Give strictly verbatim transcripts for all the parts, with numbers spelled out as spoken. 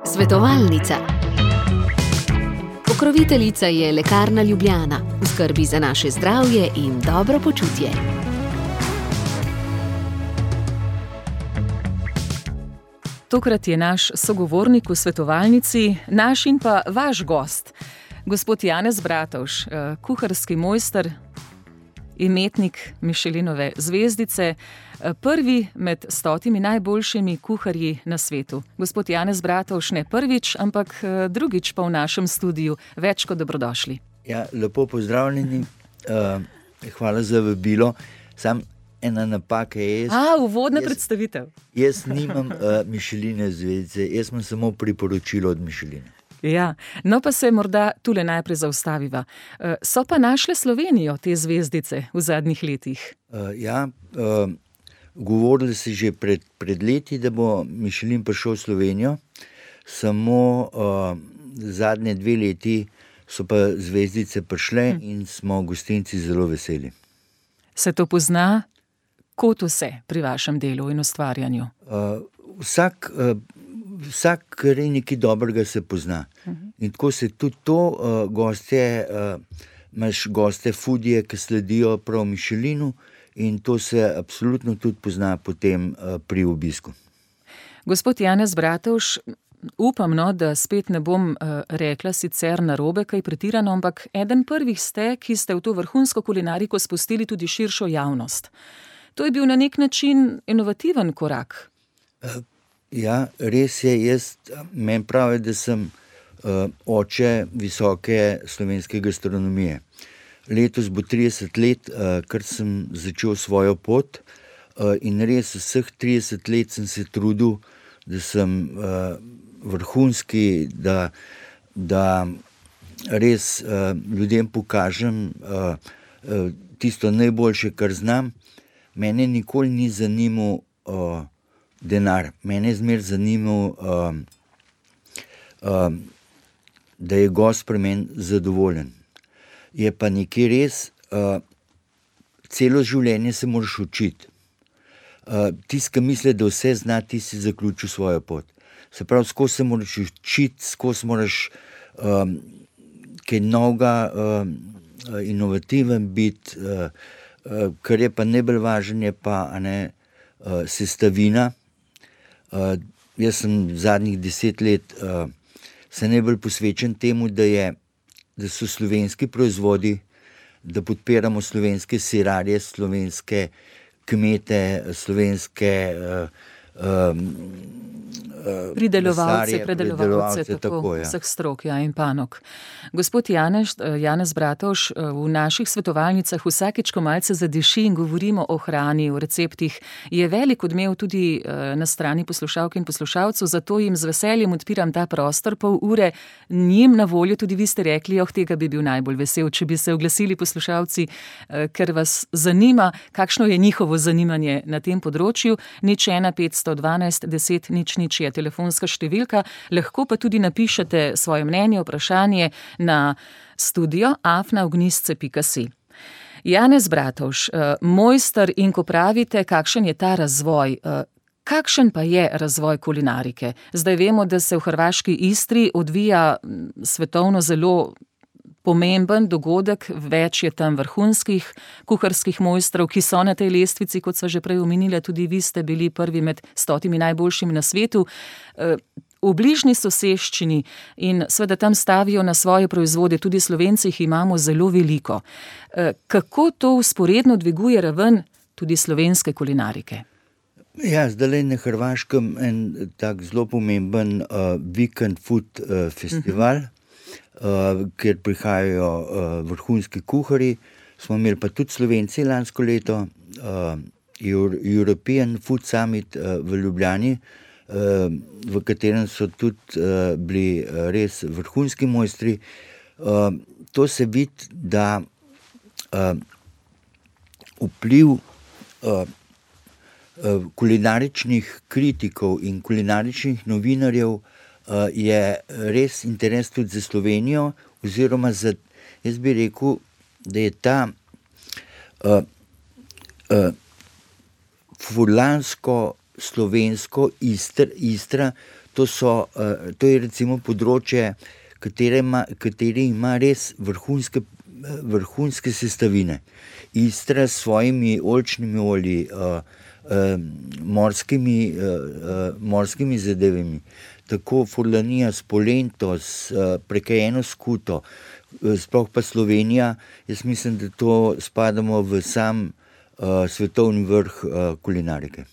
Svetovalnica. Pokroviteljica je Lekarna Ljubljana, v skrbi za naše zdravje in dobro počutje. Tokrat je naš sogovornik v svetovalnici, naš in pa vaš gost, gospod Janez Bratovž, kuharski mojster, imetnik Michelinove zvezdice, prvi med stotimi najboljšimi kuharji na svetu. Gospod Janez Bratovž, ne prvič, ampak drugič pa v našem studiu. Več kot dobrodošli. Ja, lepo pozdravljeni. Uh, hvala za vabilo. Sam ena napaka je... Jaz, A, uvodna jaz, predstavitev. Jaz nimam uh, Michelinove zvezdice, jaz imam samo priporočilo od Michelina. Ja, no pa se morda tule najprej zaustaviva. So pa našle Slovenijo te zvezdice v zadnjih letih? Uh, ja, uh, govorili se že pred, pred leti, da bo Michelin prišel v Slovenijo, samo uh, zadnje dve leti so pa zvezdice prišle hm. in smo gostinci zelo veseli. Se to pozna kot vse pri vašem delu in ustvarjanju? Uh, vsak... Uh, Vsak, kar je nekaj dobrega, se pozna. Uh-huh. In tako se tudi to, uh, gostje, uh, imaš goste foodije, ki sledijo prav Michelinu, in to se absolutno tudi pozna potem uh, pri obisku. Gospod Janez Bratovž, upam, no, da spet ne bom uh, rekla sicer narobe, kaj pretirano, ampak eden prvih ste, ki ste v to vrhunsko kulinariko spustili tudi širšo javnost. To je bil na nek način inovativen korak. Uh, Ja, res je, jaz, meni pravi, da sem uh, oče visoke slovenske gastronomije. Letos bo trideset let, uh, kar sem začel svojo pot uh, in res vseh trideset let sem se trudil, da sem uh, vrhunski, da, da res uh, ljudem pokažem uh, uh, tisto najboljše, kar znam. Mene nikoli ni zanimal uh, denar. Mene je zmer zanimal, um, um, da je gost pri meni zadovoljen. Je pa nekaj res, uh, celo življenje se moraš učiti. Uh, tisti, ki misli, da vse zna, ti si zaključil svojo pot. Se pravi, skozi se moraš učiti, skozi moraš um, kaj novega, um, inovativen biti, uh, uh, kar je pa najbolj važno, je pa a ne, uh, sestavina. Uh, jaz sem zadnjih deset let uh, se najbolj posvečen temu, da, je, da so slovenski proizvodi, da podpiramo slovenske sirarje, slovenske kmete, slovenske uh, um, uh, pridelovalce, lesarje, predelovalce, tako, tako ja. Vseh strok, ja, in panog. Gospod Janez, Janez Bratovž, v naših svetovalnicah vsakič, ko malce zadeši in govorimo o hrani, o receptih, je velik odmev tudi na strani poslušalk in poslušalcev, zato jim z veseljem odpiram ta prostor, pol ure njim na voljo, tudi vi ste rekli, oh, tega bi bil najbolj vesel, če bi se oglasili poslušalci, ker vas zanima, kakšno je njihovo zanimanje na tem področju. Nič ena petsto dvanajst deset nič nič je telefonska številka, lahko pa tudi napišete svoje mnenje, vprašanje na studio afna ognjisce pika si. Janez Bratovž, mojster, in ko pravite, kakšen je ta razvoj, kakšen pa je razvoj kulinarike? Zdaj vemo, da se v hrvaški Istri odvija svetovno zelo pomemben dogodek, več je tam vrhunskih kuharskih mojstrov, ki so na tej lestvici, kot sva že prej omenila, tudi vi ste bili prvi med stotimi najboljšimi na svetu. V bližnji soseščini in seveda tam stavijo na svoje proizvode, tudi Slovenci jih imamo zelo veliko. Kako to vzporedno dviguje raven tudi slovenske kulinarike? Ja, zdaj na Hrvaškem en tak zelo pomemben uh, Weekend Food uh, festival, uh-huh. Uh, kjer prihajajo uh, vrhunski kuharji. Smo imeli pa tudi Slovenci lansko leto, uh, European Food Summit uh, v Ljubljani, uh, v katerem so tudi uh, bili uh, res vrhunski mojstri. Uh, to se vidi, da uh, vpliv uh, uh, kulinaričnih kritikov in kulinaričnih novinarjev je res interes tudi za Slovenijo, oziroma za, jaz bi rekel, da je ta uh, uh, furlansko slovensko Istr, Istra, to, so, uh, to je recimo področje, katere ima, kateri ima res vrhunske, vrhunske sestavine. Istra s svojimi oljčnimi olji, uh, uh, morskimi, uh, uh, morskimi zadevami, tako Furlanija s polento, s uh, prekajeno skuto, uh, sploh pa Slovenija, jaz mislim, da to spadamo v sam uh, svetovni vrh uh, kulinarike.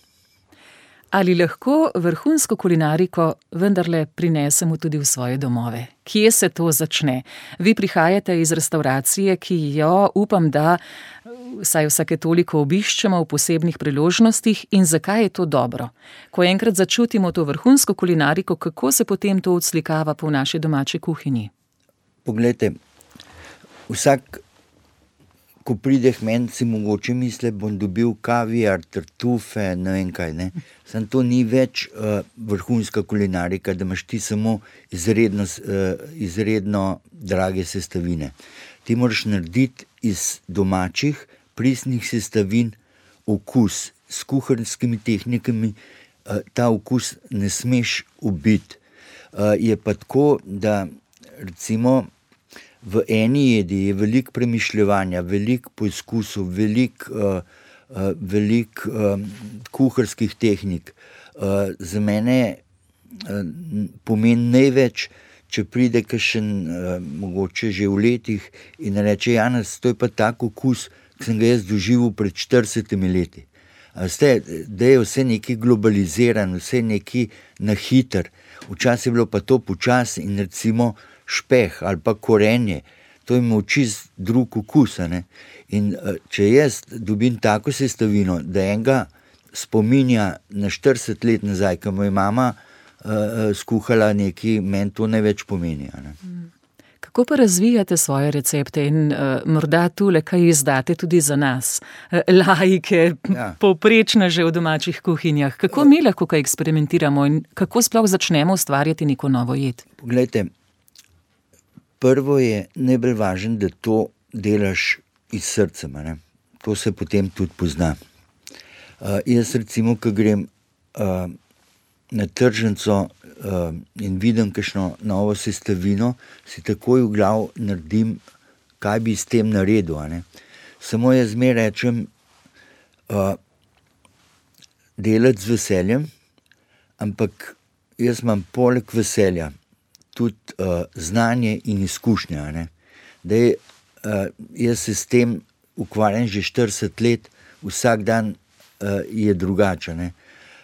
Ali lahko vrhunsko kulinariko vendarle prinesemo tudi v svoje domove? Kje se to začne? Vi prihajate iz restauracije, ki jo upam, da vsaj vsake toliko obiščemo v posebnih priložnostih, in zakaj je to dobro? Ko enkrat začutimo to vrhunsko kulinariko, kako se potem to odslikava po naši domači kuhinji? Poglejte, vsak, ko pride k meni, si mogoče misli, bom dobil kaviar, tartufe, ne vem kaj, ne. Sam to ni več uh, vrhunska kulinarika, da imaš ti samo izredno, uh, izredno drage sestavine. Ti moraš narediti iz domačih, pristnih sestavin okus. S kuharskimi tehnikami uh, ta okus ne smeš ubiti. Uh, je pa tako, da recimo v eni jedi je veliko premišljevanja, veliko poizkusov, veliko uh, uh, velik, uh, kuharskih tehnik. Uh, za mene uh, pomeni največ, če pride kakšen, uh, mogoče že v letih, in reče: Janez, to je pa tak okus, ki sem ga jaz doživel pred štiridesetimi leti. Ste, da je vse nekaj globalizirano, vse nekaj na hiter. Včasih je bilo pa to počasi, in recimo špeh ali pa korenje, to ima čist drug okus. Ne? In če jaz dobim tako sestavino, da enega spominja na štirideset let nazaj, ko mu je mama uh, skuhala nekaj, meni to največ pomeni. Ne? Kako pa razvijate svoje recepte in uh, morda tule kaj izdate tudi za nas, uh, laike, ja. Povprečne že v domačih kuhinjah? Kako mi lahko kaj eksperimentiramo in kako sploh začnemo ustvarjati neko novo jed? Poglejte, prvo je najbolj važno, da to delaš iz srca, ne? To se potem tudi pozna. Uh, jaz recimo, ko grem uh, na tržnico uh, in vidim kakšno novo sestavino, si takoj v glav naredim, kaj bi s tem naredil. Ne? Samo jaz zmeraj rečem, uh, delati z veseljem, ampak jaz imam poleg veselja tudi uh, znanje in izkušnja. Ne? Da je, uh, jaz se s tem ukvarjam že štirideset let, vsak dan uh, je drugače. Ne?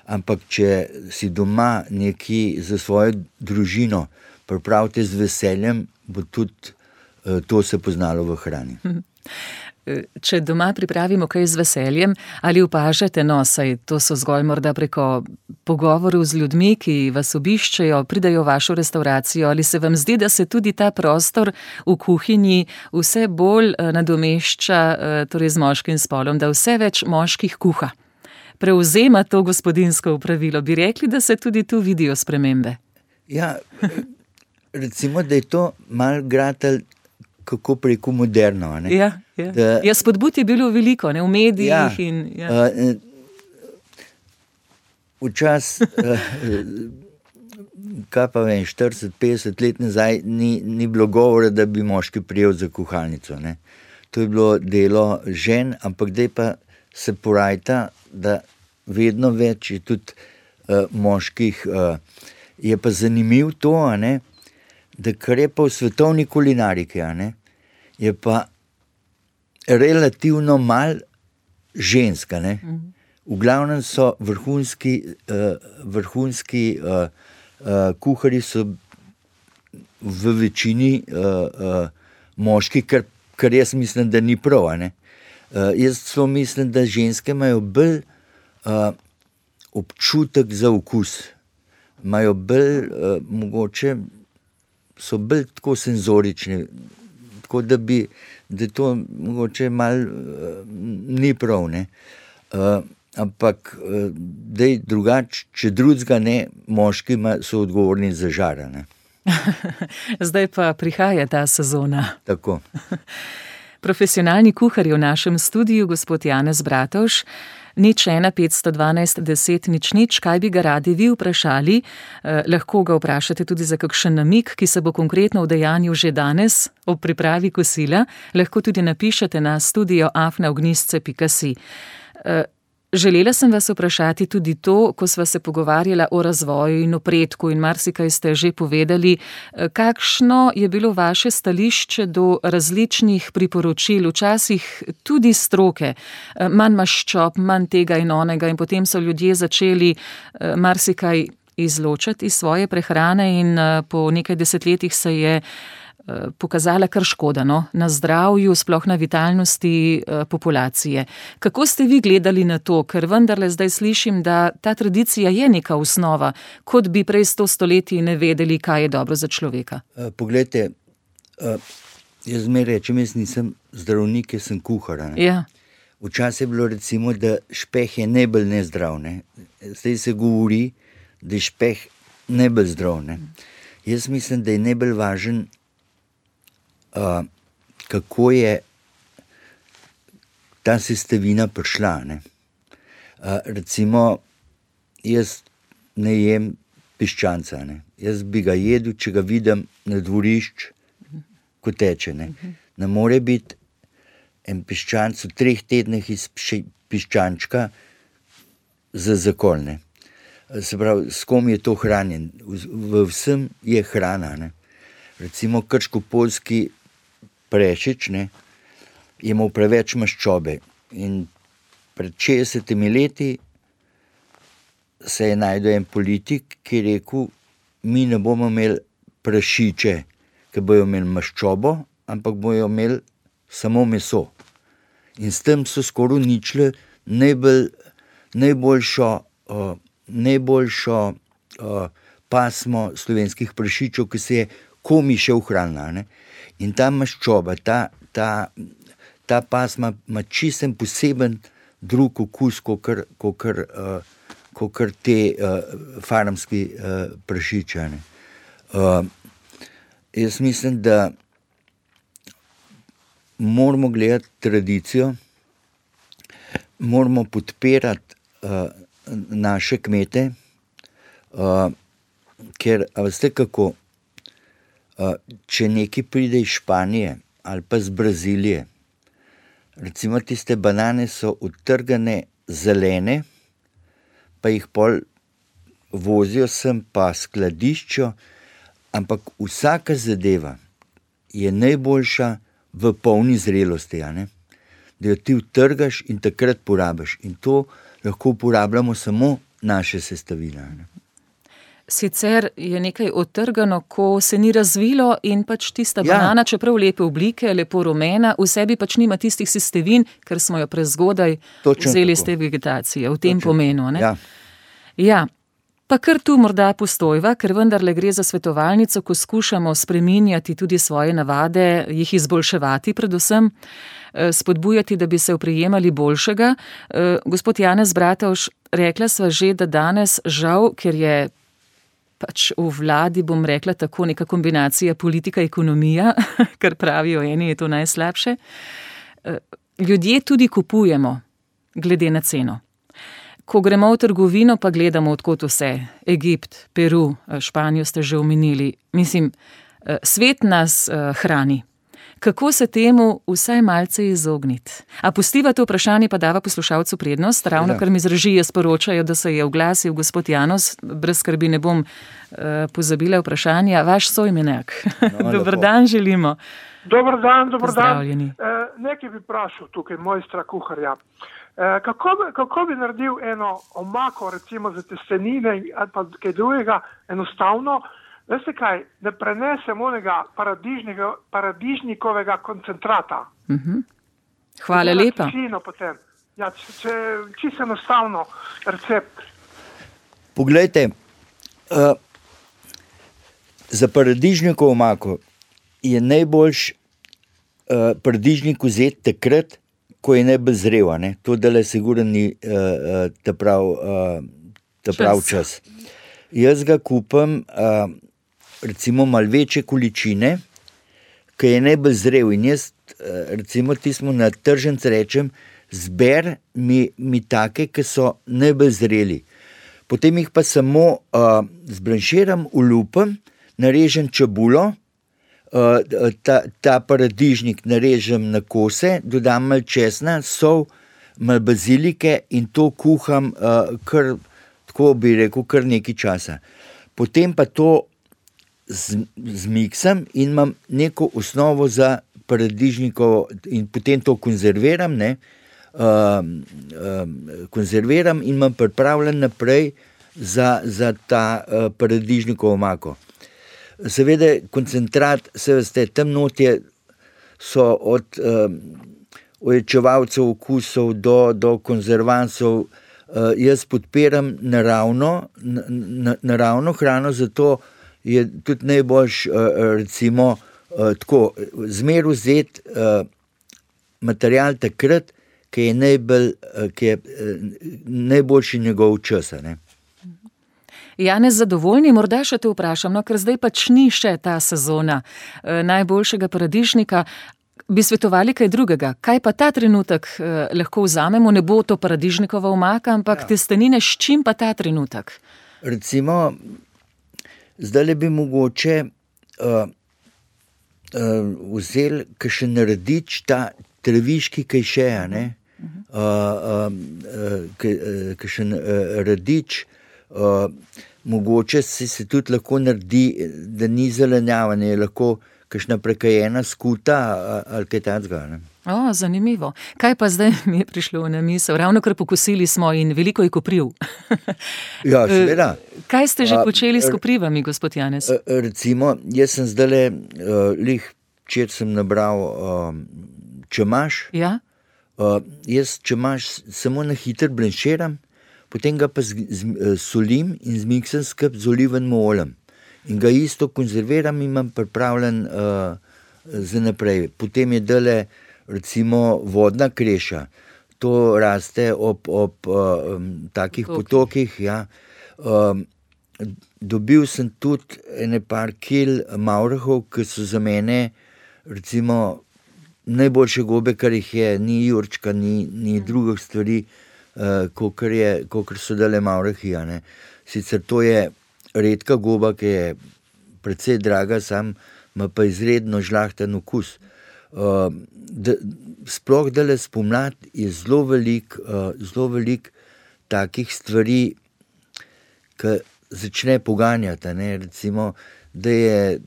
Ampak če si doma nekaj za svojo družino, pripravite z veseljem, bo tudi uh, to se poznalo v hrani. Če doma pripravimo kaj z veseljem, ali opažate, no, saj to so zgolj morda preko pogovorov z ljudmi, ki vas obiščejo, pridajo v vašo restauracijo, ali se vam zdi, da se tudi ta prostor v kuhinji vse bolj nadomešča, torej z moškim spolom, da vse več moških kuha? Prevzema to gospodinjsko opravilo. Bi rekli, da se tudi tu vidijo spremembe? Ja, recimo, da je to malo gratalj, kako preko moderno. Ne? Ja, ja. Da, ja, spodbud je bilo veliko, ne, v medijih. Ja, in, ja. uh, včas, uh, kaj pa vem, štirideset petdeset let nazaj ni, ni bilo govora, da bi moški prijel za kuhalnico. Ne? To je bilo delo žen, ampak zdaj pa se porajta, da vedno več je tudi uh, moških. Uh, je pa zanimiv to, a ne, da kar je pa v svetovni kulinariki, ne, je pa relativno malo ženska. Ne. V glavnem so vrhunski, uh, vrhunski uh, uh, kuharji so v večini uh, uh, moški, kar, kar jaz mislim, da ni prav. Ne. Uh, jaz so mislim, da ženske imajo bolj uh, občutek za okus, imajo bolj uh, mogoče, so bolj tako senzorični, tako da bi, da to mogoče malo uh, ni prav, ne. Uh, ampak, uh, dej drugače, če drugega ne, moški so odgovorni za žara, ne. Zdaj pa prihaja ta sezona. Tako. Profesionalni kuhar je v našem studiu, gospod Janez Bratovž. nič ena petsto dvanajst deset nič nič, kaj bi ga radi vi vprašali. Eh, lahko ga vprašate tudi za kakšen namig, ki se bo konkretno udejanjil že danes ob pripravi kosila. Lahko tudi napišete na studio afna ognjišče pika si. Eh, Želela sem vas vprašati tudi to, ko sva se pogovarjala o razvoju in napredku in marsikaj ste že povedali, kakšno je bilo vaše stališče do različnih priporočil, včasih tudi stroke, manj maščob, manj tega in onega in potem so ljudje začeli marsikaj izločati iz svoje prehrane in po nekaj desetletjih se je pokazala kar škoda, no? Na zdravju, sploh na vitalnosti eh, populacije. Kako ste vi gledali na to? Ker vendarle zdaj slišim, da ta tradicija je neka osnova, kot bi prej sto stoletij ne vedeli, kaj je dobro za človeka. Uh, poglejte, uh, jaz zmeraj rečem, jaz nisem zdravnik, jaz sem kuhar. Ja. Včasih je bilo recimo, da špeh je najbolj nezdrav. Ne? Zdaj se govori, da je špeh najbolj zdrav. Ne? Jaz mislim, da je najbolj važen Uh, kako je ta sestavina prišla. Ne? Uh, recimo, jaz ne jem piščanca. Ne? Jaz bi ga jedel, če ga vidim na dvorišč, ko teče. Ne, ne more biti en piščanc v treh tednih iz piščančka za zakolne. Se pravi, s kom je to hranjen? V, v vsem je hrana. Ne? Recimo, krško-poljski Prešič, ne, je imel preveč maščobe in pred šestdesetimi leti se je najdel en politik, ki je rekel, mi ne bomo imeli prašiče, ki bojo imeli maščobo, ampak bojo imeli samo meso. In s tem so skoraj uničili najbolj, najboljšo, uh, najboljšo uh, pasmo slovenskih prašičev, ki se je komi še ohranila. Ne. In ta maščoba, ta, ta, ta pasma ima čisten poseben drug okus, kot uh, te uh, farmski uh, prašiče. Uh, jaz mislim, da moramo gledati tradicijo, moramo podpirati uh, naše kmete, uh, ker, a veste kako, Uh, če nekaj pride iz Španije ali pa iz Brazilije, recimo tiste banane so odtrgane zelene, pa jih pol vozijo sem pa skladiščo, ampak vsaka zadeva je najboljša v polni zrelosti, ja, ne? Da jo ti odtrgaš in takrat porabiš. In to lahko uporabljamo samo naše sestavine. Ne? Sicer je nekaj odtrgano, ko se ni razvilo in pač tista ja. banana, čeprav lepe oblike, lepo rumena, v sebi pač nima tistih sestavin, ker smo jo prezgodaj Točno vzeli iz te vegetacije, v tem Točno. pomenu. Ne? Ja. ja, pa kar tu morda postojva, ker vendarle gre za svetovalnico, ko skušamo spreminjati tudi svoje navade, jih izboljševati predvsem, spodbujati, da bi se oprijemali boljšega. Gospod Janez Bratovž, rekla sva že, da danes žal, ker je pač v vladi, bom rekla tako, neka kombinacija politika-ekonomija, kar pravijo eni, je to najslabše. Ljudje tudi kupujemo, glede na ceno. Ko gremo v trgovino, pa gledamo, odkot vse. Egipt, Peru, Španijo ste že omenili. Mislim, svet nas hrani. Kako se temu vsaj malce izogniti? A pustiva to vprašanje, pa dava poslušalcu prednost, ravno kar mi z režije sporočajo, da se je oglasil gospod Janez, brez skrbi ne bom uh, pozabila vprašanja. Vaš soimenek. No, dober dan želimo. Dobar dan, dobar dan. E, nekaj bi vprašal tukaj, mojstra kuharja. E, kako, kako bi naredil eno omako, recimo za testenine ali pa kaj drugega, enostavno, veste kaj, da prenesem onega paradižnikovega koncentrata. Uh-huh. Hvala lepa. Potem. Ja, če, če, čisto enostavno recept. Poglejte, uh, za paradižnikovo omako je najboljš uh, paradižnik vzeti takrat, ko je najbolj zrel, ne? To dele sigurno ni uh, ta prav, uh, ta prav čas. čas. Jaz ga kupam uh, recimo malo večje količine, ki je najbolj zrel in jaz recimo tismo na tržnici rečem, zber mi, mi take, ki so najbolj zreli. Potem jih pa samo uh, zblanširam, ulupim, narežem čebulo, uh, ta, ta paradižnik narežem na kose, dodam malo česna, sol, malo bazilike in to kuham uh, kar, tako bi rekel, kar nekaj časa. Potem pa to zmiksam in imam neko osnovo za paradižnikovo in potem to konzerviram, ne, uh, uh, konzerviram in imam pripravljen naprej za, za ta uh, paradižnikovo omako. Seveda koncentrat, se veste, tam notje so od uh, ojačevalcev okusov do, do konzervansov. Uh, jaz podpiram naravno, na, naravno hrano, zato je tudi najboljš, uh, recimo, uh, tako, zmer vzeti uh, material takrat, ki je, najbolj, uh, ki je uh, najboljši njegov čas. Janez, zadovoljni, morda še te vprašam, no, ker zdaj pač ni še ta sezona uh, najboljšega paradižnika. Bi svetovali kaj drugega? Kaj pa ta trenutek uh, lahko vzamemo? Ne bo to paradižnikova omaka, ampak ja. Testenine, s čim pa ta trenutek? Recimo, zdaj le bi mogoče uh, uh, vzeli kakšen radič, ta treviški kajšeja, ne? Uh, uh, uh, kakšen uh, radič, uh, mogoče si se tudi lahko naredi, da ni zelenjava, ne, lahko kakšna prekajena skuta ali kaj takega. O, zanimivo. Kaj pa zdaj mi je prišlo na misel? Ravno kar pokusili smo in veliko je kopriv. Ja, seveda. Kaj ste že počeli s koprivami, gospod Janez? Recimo, jaz sem zdajle, uh, lih, včeraj sem nabral uh, čemaž. Ja? Uh, jaz čemaž samo na hiter blanširam, potem ga pa z, z, solim in zmiksam skup z olivenim oljem. In ga isto konzerviram in imam pripravljen uh, za naprej. Potem je dale, recimo, vodna kreša. To raste ob, ob uh, takih okay. potokih. Ja. Uh, dobil sem tudi ene par kil mavrahov, ki so za mene, recimo, najboljše gobe, kar jih je, ni jurčka, ni, ni drugih stvari, uh, kakor, je, kakor so dale mavrahi. Ja, sicer to je redka goba, ki je precej draga, sam ima pa izredno žlahten okus. Uh, da, sploh dale spomlad je zelo velik, uh, zelo velik takih stvari, ki začne poganjati, ne? Recimo, da je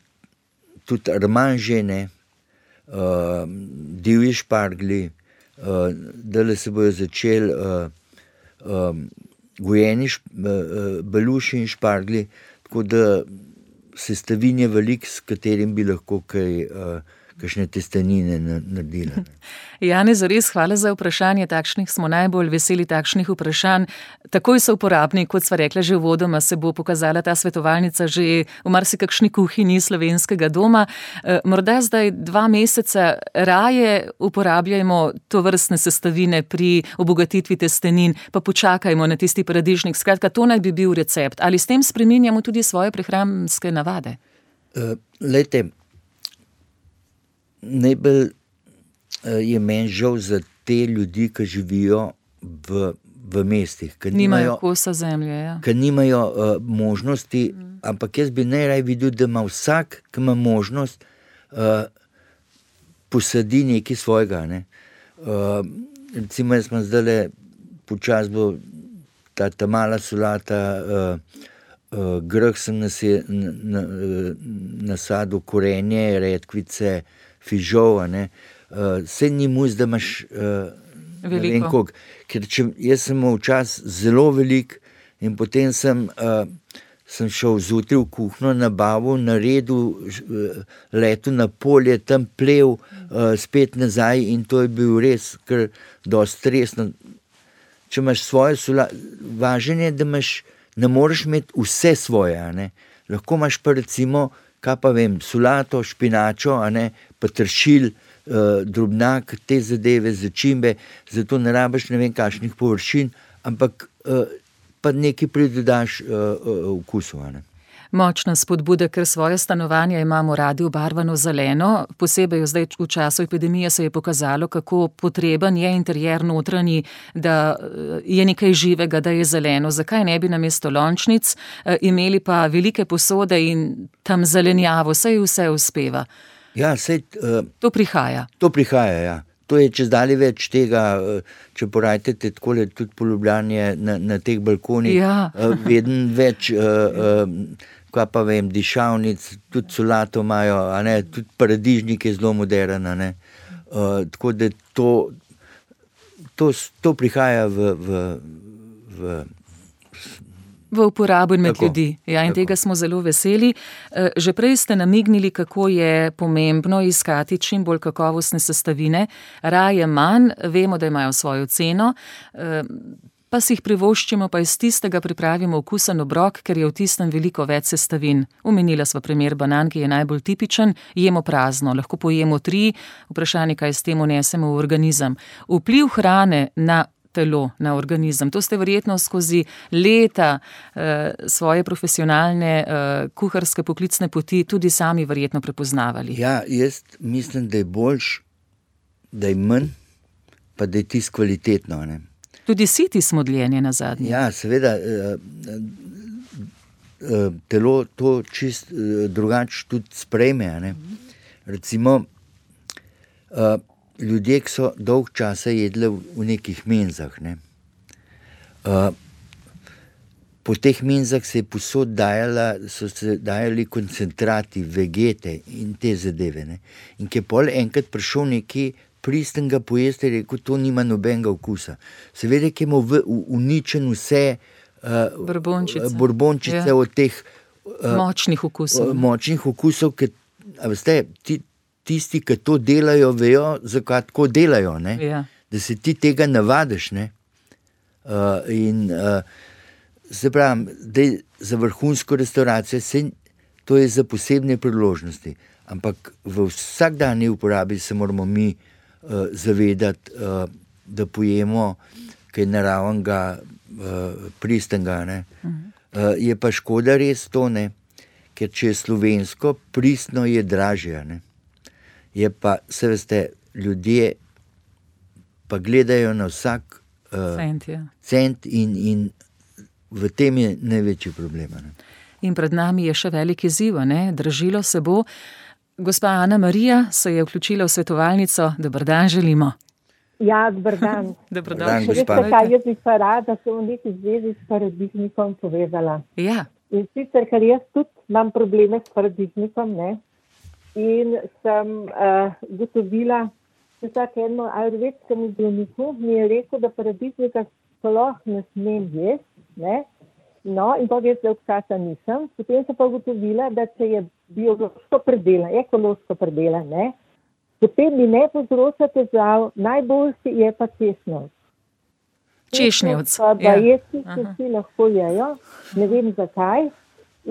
tudi armanže, ne? Uh, divji špargli, uh, dale se bojo začeli uh, um, gojeni beluši in špargli, tako da sestavin je velik, s katerim bi lahko kaj, kakšne testenine naredila. Janez, res hvala za vprašanje, takšnih smo najbolj veseli, takšnih vprašanj. Takoj so uporabni, kot sva rekla že uvodoma, se bo pokazala ta svetovalnica že v marsikakšni kuhinji slovenskega doma. Morda zdaj dva meseca raje uporabljajmo tovrstne sestavine pri obogatitvi testenin, pa počakajmo na tisti paradižnik. Skratka, to naj bi bil recept. Ali s tem spreminjamo tudi svoje prehranske navade? Uh, lejte, najbolj je meni žal za te ljudi, ki živijo v, v mestih, ki nimajo kosa zemlje, ja. Ki nimajo uh, možnosti, mm. ampak jaz bi najraj videl, da ima vsak, ki ima možnost, uh, posadi nekaj svojega. Ne? Uh, recimo, jaz sem zdajle počas bo ta, ta mala solata, uh, uh, grh sem nase, na, na, nasadil korenje, redkvice, fižol, ne. Uh, se ni muz, da imaš uh, ne vem koliko. Ker če, jaz sem imel čas zelo velik in potem sem, uh, sem šel zjutraj v kuhno, nabavil, naredil, uh, letel na polje, tam plev, uh, spet nazaj in to je bil res kar dosti stresno. Če imaš svoje sola, važen je, da imaš, ne moreš imeti vse svoje, a ne. Lahko imaš pa recimo, kaj pa vem, solato, špinačo, a ne, pa tršil, uh, drobnak, te zadeve, začimbe, zato ne rabiš ne vem kakšnih površin, ampak uh, pa nekaj pridodaš uh, uh, vkusu, a ne. Močna spodbuda, ker svoje stanovanje imamo radi obarvano zeleno, posebej zdaj v času epidemije se je pokazalo, kako potreben je interjer notranji, da je nekaj živega, da je zeleno. Zakaj ne bi namesto lončnic imeli pa velike posode in tam zelenjavo, saj vse uspeva? Ja, sej, uh, to prihaja. To prihaja, ja. To je čez dalje več tega, če porajtete takole tudi po Ljubljani na, na teh balkonih, ja. Vedno več, uh, uh, kaj pa vem, dišavnic, tudi solato imajo, a ne, tudi paradižnik je zelo moderen, a ne. Uh, tako da to, to, to prihaja v, v, v v uporabo in med tako, ljudi. Ja, in tako. Tega smo zelo veseli. Že prej ste namignili, kako je pomembno iskati čim bolj kakovostne sestavine. Raje manj, vemo, da imajo svojo ceno, pa si jih privoščimo, pa iz tistega pripravimo okusen obrok, ker je v tistem veliko več sestavin. Omenila sva primer banan, ki je najbolj tipičen, jemo prazno, lahko pojemo tri, vprašanje, kaj s tem unesemo v organizem. Vpliv hrane na telo, na organizem. To ste verjetno skozi leta eh, svoje profesionalne eh, kuharske poklicne poti tudi sami verjetno prepoznavali. Ja, jaz mislim, da je boljš, da je manj, pa da je tisto kvalitetno. Ne? Tudi siti smo dljenje na zadnje. Ja, seveda, eh, eh, telo to čist eh, drugače tudi sprejme. Ne? Recimo, eh, ljudje, ki so dolg časa jedli v nekih menzah, ne. Uh, po teh menzah se je posod dajala, so se dajali koncentrati, vegete in te zadeve, ne. In ki je pol enkrat prišel neki pristnega pojesti, je rekel, to nima nobenega okusa. Seveda, ki je v, uničen vse uh, borbončice, borbončice ja. Od teh uh, močnih okusov. Uh, močnih okusov, ki, a veste, ti tisti, ki to delajo, vejo, zakaj tako delajo, ne? Ja. Da se ti tega navadiš. Ne? Uh, in uh, se pravim, da je za vrhunsko restauracijo, se, to je za posebne priložnosti, ampak v vsakdanji uporabi se moramo mi uh, zavedati, uh, da pojemo kaj naravnega, uh, pristnega. Ne? Uh, je pa škoda res to, ne? Ker če je slovensko, pristno je dražje, ne? Je pa, se veste, ljudje pa gledajo na vsak uh, cent, ja. cent in, in v tem je največji problem. Ne? In pred nami je še velik izziv, ne? Dražilo se bo. Gospa Ana Marija se je vključila v svetovalnico. Dober dan želimo. Ja, dober dan. Dober dan, dan, gospa. Veste kaj, jaz bi pa rada se v neki zvezi s paradižnikom povedala. Ja. In sicer, ker jaz tudi imam probleme s paradižnikom, ne? In sem uh, gotovila, da tak eno ajurvedskemu zdravniku mi je rekel, da paradižnika sploh ne smem jesti, ne? No, in pa jaz dolgo časa nisem. Potem sem pa gotovila, da če je biološko predelan, ekološko predelan, ne? Potem mi ne povzroča težav, najboljši je pa češnjevc. Češnjevc, pa ja. Bajeci se vsi lahko jejo, ne vem zakaj.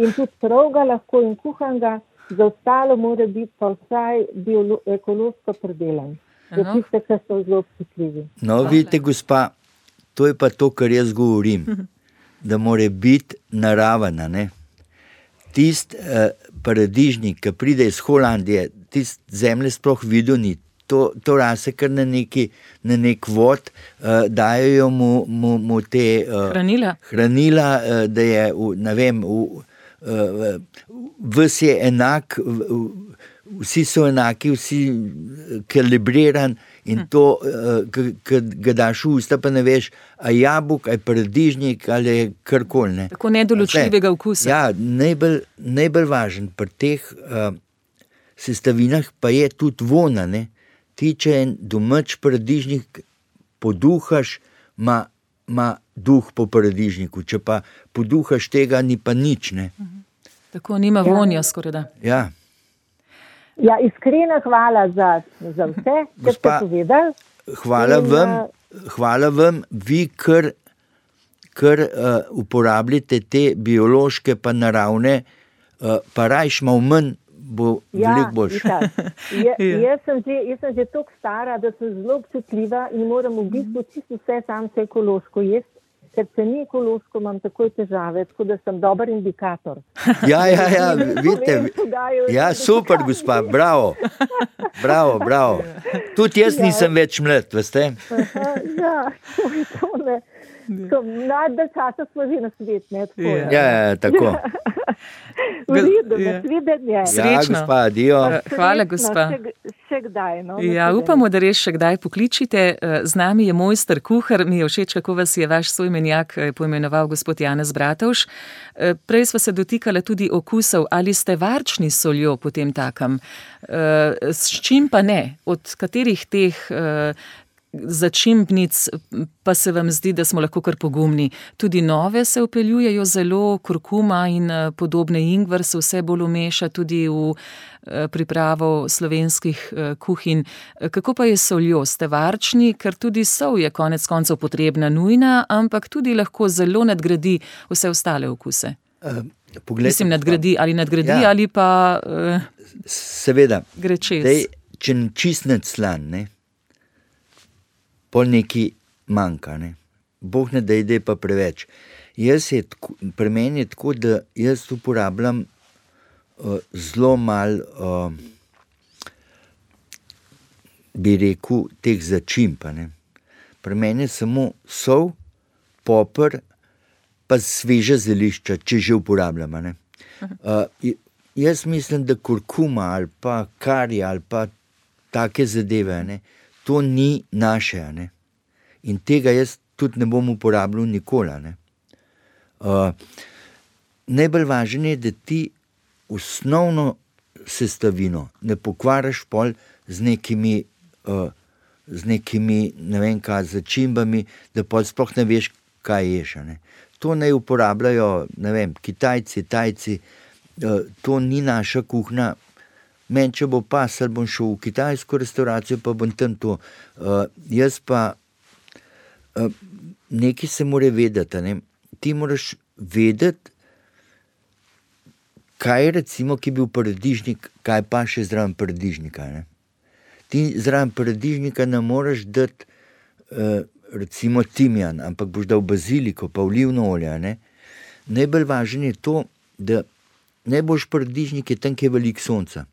In tudi pravga lahko in kuhanga. Za ostalo mora biti pa vsaj biolo- ekološko predelan. Za tiste, ki so zelo občutljivi. No, vidite, gospa, to je pa to, kar jaz govorim, da mora biti naravna, ne. Tist uh, paradižnik, ki pride iz Holandije, tist zemlje sploh videl ni, to, to rase kar na neki, na nek vod, uh, dajo mu, mu, mu te uh, hranila, hranila uh, da je, v, ne vem, v, Uh, ves je enak, vsi so enaki, vsi kalibriran in to, uh, ki ga daš v usta, pa ne veš, a jabolk, a paradižnik ali karkoli. Tako nedoločljivega okusa. Ja, najbolj, najbolj važen pri teh uh, sestavinah pa je tudi vona. Ne? Ti, če en domač paradižnik poduhaš, ma ima duh po paradižniku, če pa poduhaš tega, ni pa nič, ne. Tako nima ja. Vonja skoraj da. Ja. Ja, iskrena hvala za, za vse, kar ste povedali. Hvala In, vam, hvala vam, vi kar, kar uh, uporabljate te biološke pa naravne, uh, pa rajš malo manj, bo ja, veliko boljše. Je, jaz sem že, jaz sem že toliko stara, da sem zelo občutljiva in moram v bistvu čisto vse samce ekološko jesti. ker če ni ekološko, imam takoj težave, tako da sem dober indikator. Ja, ja, ja, vidite, ja, super, gospa, bravo, bravo, bravo. Tudi jaz nisem več mlad, veste? Ja, to je to, ne. Najdel časa smo že na svet, ne, tako. Ja, ja, tako. V redu, nasvidenje. Ja, gospa, adijo. Hvala, gospa. Še, še kdaj, no. Ja, upamo, da res še kdaj pokličite. Z nami je mojster kuhar, mi je všeč, kako vas je vaš soimenjak poimenoval gospod Janez Bratovž. Prej sva se dotikala tudi okusov, ali ste varčni s soljo po tem takem. S čim pa ne? Od katerih teh začimbnic pa se vam zdi, da smo lahko kar pogumni? Tudi nove se vpeljujejo zelo, kurkuma in podobne, ingver se vse bolj umeša tudi v pripravo slovenskih kuhinj. Kako pa je s soljo? Ste varčni, ker tudi sol je konec koncev potrebna, nujna, ampak tudi lahko zelo nadgradi vse ostale okuse. Uh, poglejte, Mislim, nadgradi ali nadgradi ja. ali pa uh, seveda, gre čez. Dej, če čistnec slan, ne? Pol neki manjka, ne. Bog ne da ide pa preveč. Jaz je, pri meni je tako, da jaz uporabljam uh, zelo malo, uh, bi rekel, teh začimb, ne. Pri meni je samo sol, poper, pa sveža zelišča, če že uporabljam, ne. Uh, jaz mislim, da kurkuma ali pa kari ali pa take zadeve, ne, to ni naše, ne? In tega jaz tudi ne bom uporabljal nikoli, ne? Uh, najbolj važno je, da ti osnovno sestavino ne pokvariš pol z nekimi, uh, z nekimi, ne vem kaj, začimbami, da pol sploh ne veš, kaj ješ, ne? To naj uporabljajo, ne vem, Kitajci, Tajci, uh, to ni naša kuhna. Men, če bo pasal, bom šel v kitajsko restauracijo, pa bom tam to. Uh, jaz pa, uh, nekaj se mora vedeti, ne? Ti moraš vedeti, kaj recimo, ki je bil paradižnik, kaj pa še zraven paradižnika, ne? Ti zraven paradižnika ne moraš dati, uh, recimo timjan, ampak boš dal baziliko, pa olivno olje, ne? Najbolj važno je to, da najboljši paradižnik je tam, kjer je veliko sonca.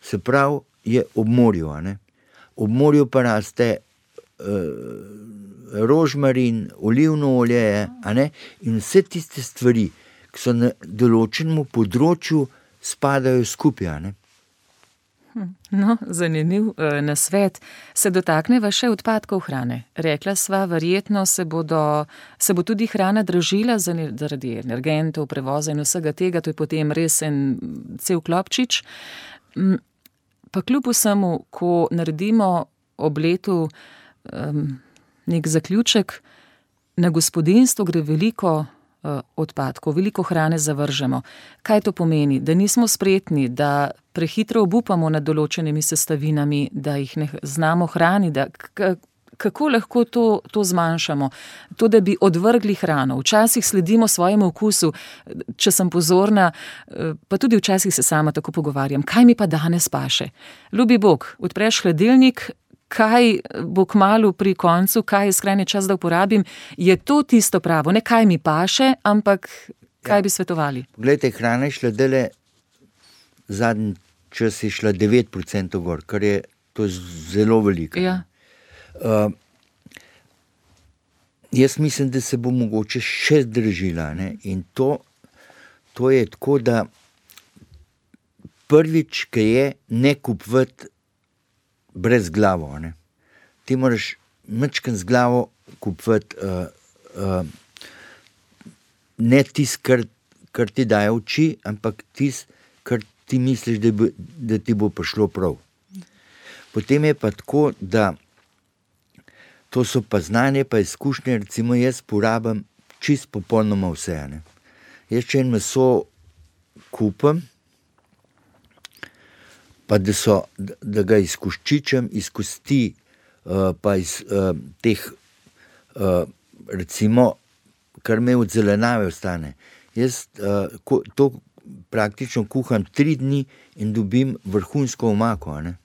Se pravi, je ob morju, a ne? Ob morju pa raste uh, rožmarin, olivno olje, a ne? In vse tiste stvari, ki so na določenem področju, spadajo skupaj, a ne? No, zanimiv uh, nasvet. Se dotakneva še odpadkov hrane. Rekla sva, verjetno se, bodo, se bo tudi hrana dražila zaradi energentov, prevoza in vsega tega, to je potem res en cel klopčič. Pa kljub vsemu, ko naredimo ob letu um, nek zaključek, na gospodinjstvo gre veliko uh, odpadkov, veliko hrane zavržemo. Kaj to pomeni? Da nismo spretni, da prehitro obupamo nad določenimi sestavinami, da jih ne znamo hraniti, da k- kako lahko to, to zmanjšamo? To, da bi odvrgli hrano. Včasih sledimo svojemu okusu, če sem pozorna, pa tudi včasih se sama tako pogovarjam, kaj mi pa danes paše? Ljubi Bog, odpreš hladilnik, kaj bo kmalu pri koncu, kaj je skrajni čas, da uporabim, je to tisto pravo, ne kaj mi paše, ampak kaj ja. bi svetovali? Poglejte, hrana je šla dele, zadnji čas je šla devet procentov gor, kar je to zelo veliko. Ja. Uh, jaz mislim, da se bo mogoče še zdržila, ne? In to, to je tako, da prvič, ki je ne kupovati brez glavo, ne? Ti moraš mečken z glavo kupovati uh, uh, ne tis, kar, kar ti daje oči, ampak tis, kar ti misliš, da, bi, da ti bo prišlo prav. Potem je pa tako, da to so pa znanje, pa izkušnje, recimo jaz porabim čist popolnoma vse, ne. Jaz če en meso kupim, pa da, so, da ga izkoščičem, iz kosti, uh, pa iz uh, teh, uh, recimo, kar me od zelenave ostane. Jaz uh, ko, to praktično kuham tri dni in dobim vrhunsko omako, ne.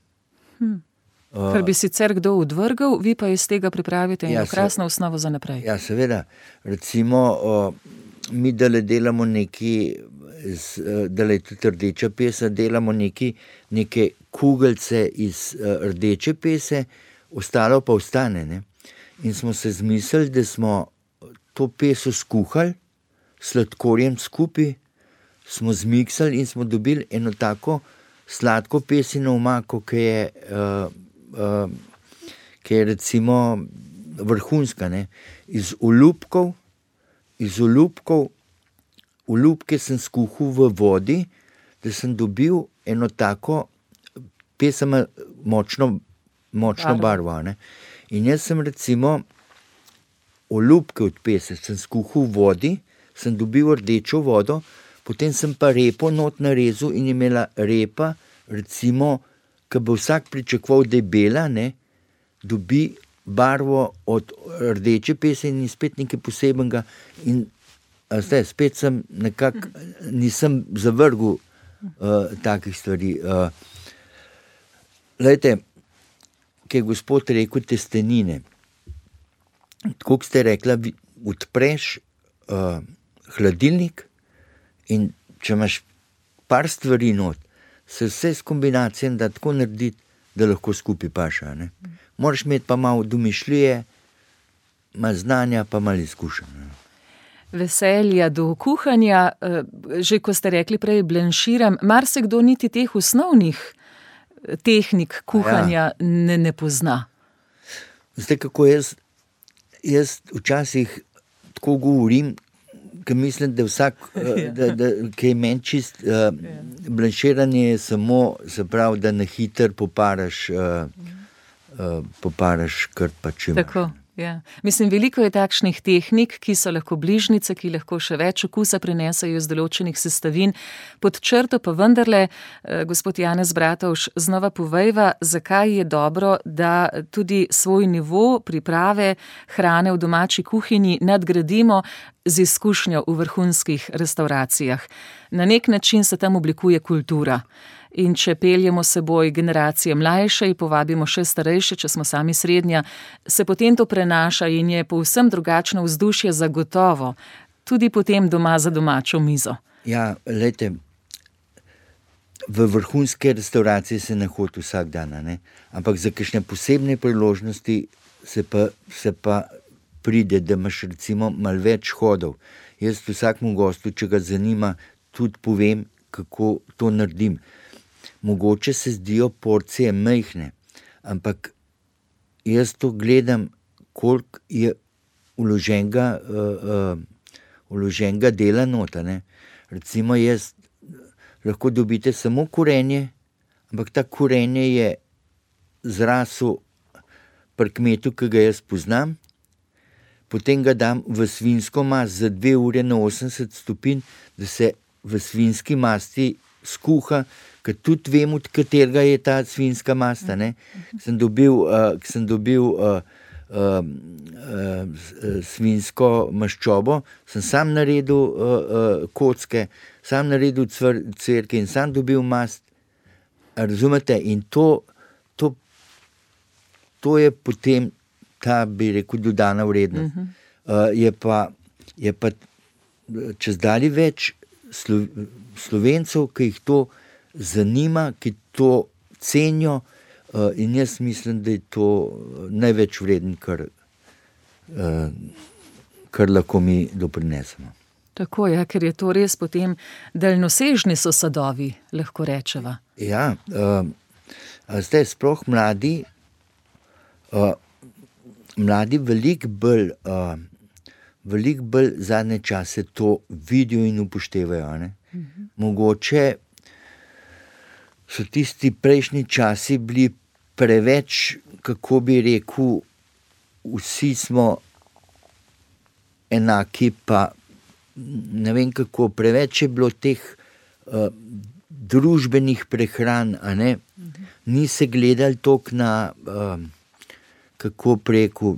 Hmm. Kar bi sicer kdo odvrgal, vi pa iz tega pripravite eno Ja, se- krasno osnovo za naprej. Ja, seveda. Recimo, o, mi dale delamo neki, z, eh, dale tudi rdeča pesa, delamo neki, neke kugelce iz eh, rdeče pese, ostalo pa ostane. Ne? In smo se zmislili, da smo to peso skuhali, s sladkorjem skupaj, smo zmiksali in smo dobili eno tako sladko pesino omako, ki je, uh, uh, ki je recimo vrhunska. Ne? Iz olupkov, iz olupkov, olupke sem skuhal v vodi, da sem dobil eno tako pesama močno, močno barvo. barvo ne? In jaz sem recimo olupke od pese, sem skuhal v vodi, sem dobil rdečo vodo, potem sem pa repo not narezal in imela repa, recimo, ki bo vsak pričakoval, da je bela, ne, dobi barvo od rdeče pese in spet nekaj posebenega. In a zdaj, spet sem nekako, nisem zavrgel uh, takih stvari. Uh, Glejte, ki je gospod rekel testenine, tako kot ste rekla, vi odpreš uh, hladilnik in če imaš par stvari not, se vse s kombinacijami da tako narediti, da lahko skupaj paša. Ne? Moraš imeti pa malo domišljije, malo znanja, pa malo izkušenj. Veselja do kuhanja, eh, že ko ste rekli prej, blanširam, marsikdo niti teh osnovnih tehnik kuhanja ja. ne, ne pozna. Zdaj, kako jaz, jaz včasih tako govorim, ker mislim, da vsak, da, da, ki je meni čist, uh, blanširanje je samo, se pravi, da na hiter poparaš, uh, uh, poparaš kar pa če imaš. Tako, ja. Mislim, veliko je takšnih tehnik, ki so lahko bližnice, ki lahko še več okusa prinesajo iz določenih sestavin. Pod črto pa vendarle, eh, gospod Janez Bratovž, znova povejva, zakaj je dobro, da tudi svoj nivo priprave hrane v domači kuhinji nadgradimo z izkušnjo v vrhunskih restauracijah. Na nek način se tam oblikuje kultura. In če peljemo seboj generacije mlajše in povabimo še starejše, če smo sami srednja, se potem to prenaša in je povsem drugačno vzdušje zagotovo, tudi potem doma za domačo mizo. Ja, lejte, v vrhunske restauracije se ne hodi vsak dan, ne? Ampak za kakšne posebne priložnosti se pa, se pa pride, da imaš recimo malo več hodov. Jaz vsakmu gostu, če ga zanima, tudi povem, kako to naredim. Mogoče se zdijo porcije majhne, ampak jaz to gledam, koliko je vloženega, uh, uh, vloženega dela nota. Ne? Recimo jaz lahko dobite samo korenje, ampak ta korenje je zrasel pri kmetu, ki ga jaz poznam, potem ga dam v svinjsko mast za dve ure na osemdeset stopinj, da se v svinjski masti skuha, ker tudi vem, od katerega je ta svinjska masta. Ne? Sem dobil, uh, sem dobil uh, uh, uh, svinjsko maščobo, sem sam naredil uh, uh, kocke, sam naredil cvr, cvrke in sam dobil mast. Razumete? In to, to, to je potem ta, bi rekel, dodana vrednost. Uh, je pa, je pa čez dalje več Slo, Slovencev, ki jih to zanima, ki to cenijo, uh, in jaz mislim, da je to največ vreden, kar, uh, kar lahko mi doprinesemo. Tako je, ker je to res potem daljnosežni so sadovi, lahko rečeva. Ja, uh, zdaj sploh mladi, uh, mladi veliko bolj, uh, veliko bolj zadnje čase to vidijo in upoštevajo. Ne? Mhm. Mogoče so tisti prejšnji časi bili preveč, kako bi rekel, vsi smo enaki, pa ne vem kako, preveč je bilo teh uh, družbenih prehran, a ne? Mhm. Ni se gledali toliko na, uh, kako preko.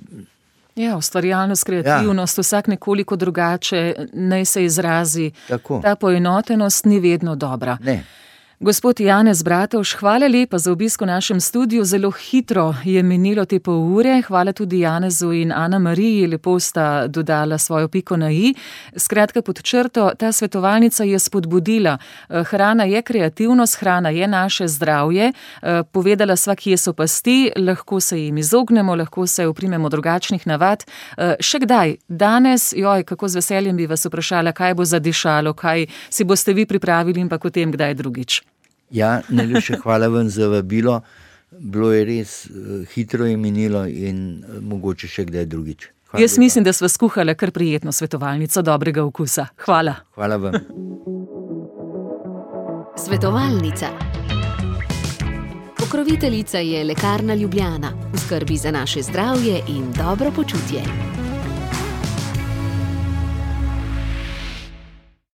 Ja, ustvarjalnost, kreativnost, ja. Vsak nekoliko drugače, naj se izrazi. Tako. Ta poenotenost ni vedno dobra. Ne. Gospod Janez Bratovž, hvala lepa za obisk v našem studiu. Zelo hitro je minilo te pol ure. Hvala tudi Janezu in Ana Mariji, lepo sta dodala svojo piko na i. Skratka, pod črto, ta svetovalnica je spodbudila. Hrana je kreativnost, hrana je naše zdravje. Povedala sva, kje so pasti, lahko se jim izognemo, lahko se oprimemo drugačnih navad. Še kdaj? Danes, joj, kako z veseljem bi vas vprašala, kaj bo zadišalo, kaj si boste vi pripravili in pa potem kdaj drugič. Ja, najlepše hvala vam za vabilo. Bilo je res, hitro je minilo in mogoče še kdaj drugič. Hvala Jaz lepa. Mislim, da sva skuhala kar prijetno svetovalnico dobrega okusa. Hvala. Hvala vam. Svetovalnica. Pokroviteljica je Lekarna Ljubljana. V skrbi za naše zdravje in dobro počutje.